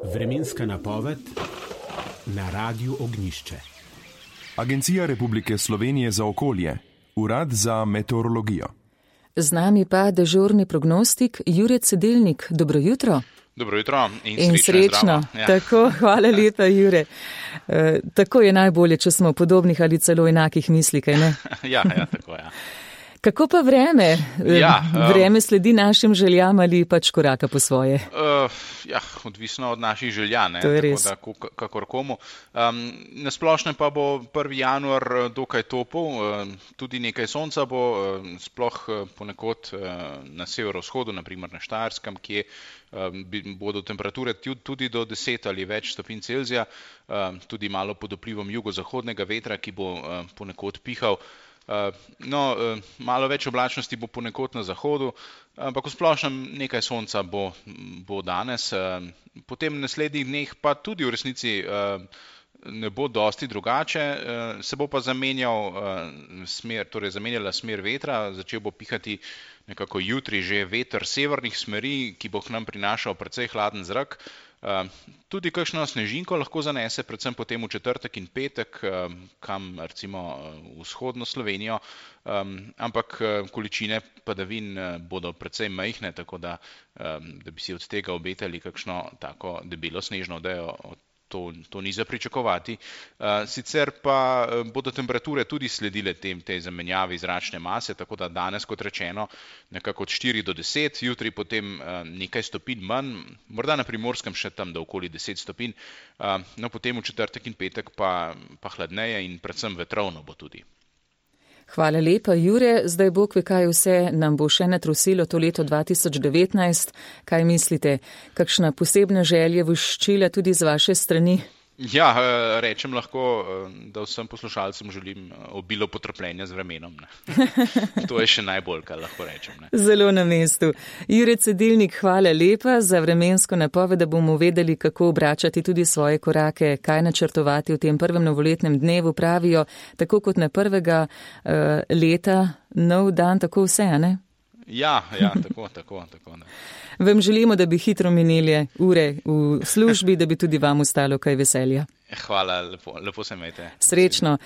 Vremenska napoved na Radiu Ognjišče. Agencija Republike Slovenije za okolje, Urad za meteorologijo. Z nami pa dežurni prognostik Jure Cedelnik. Dobro jutro. Dobro jutro in srečno. Ja. Tako, hvala lepa, Jure. Tako je najbolje, če smo podobnih ali celo enakih misli, kaj ne? Ja, tako je. Ja. Kako pa vreme? Vreme sledi našim željam ali pač koraka po svoje? Odvisno od naših želja, ne? To je res. Tako da, kakor komu. Na splošno pa bo 1. januar dokaj topel, tudi nekaj sonca bo, sploh ponekod na severovzhodu, naprimer na Štajerskem, kje bodo temperature tudi do 10 ali več stopinj Celzija, tudi malo pod vplivom jugozahodnega vetra, ki bo ponekod pihal. Malo več oblačnosti bo ponekod na zahodu, ampak v splošnem nekaj sonca bo danes. Potem v naslednjih dneh pa tudi v resnici ne bo dosti drugače, se bo pa zamenjala smer vetra, začel bo pihati nekako jutri že veter severnih smeri, ki bo k nam prinašal precej hladen zrak. Tudi kakšno snežinko lahko zanese, predvsem potem v četrtek in petek, kam recimo vzhodno Slovenijo, ampak količine padavin bodo precej majhne, tako da bi si od tega obetali kakšno tako debelo snežno odejo, to ni za pričakovati. Sicer pa bodo temperature tudi sledile tej zamenjavi zračne mase, tako da danes, kot rečeno, nekako od 4 do 10, jutri potem nekaj stopinj manj, morda na Primorskem še tam do okoli 10 stopinj, potem v četrtek in petek pa hladneje in predvsem vetrovno bo tudi. Hvala lepa, Jure. Zdaj Bog ve, kaj vse nam bo še natrosilo to leto 2019. Kaj mislite, kakšna posebna želja voščila tudi z vaše strani? Ja, rečem lahko, da vsem poslušalcem želim obilo potrpljenja z vremenom. Ne. To je še najbolj, kar lahko rečem. Ne. Zelo na mestu. Jure Cedelnik, hvala lepa za vremensko napoved, da bomo vedeli, kako obračati tudi svoje korake, kaj načrtovati v tem prvem novoletnem dnevu. Pravijo, tako kot na prvega leta, nov dan, tako vse, ne? Ja, tako. Ne. Vam želimo, da bi hitro minili ure v službi, da bi tudi vam ostalo kaj veselja. Hvala, lepo se imejte. Srečno.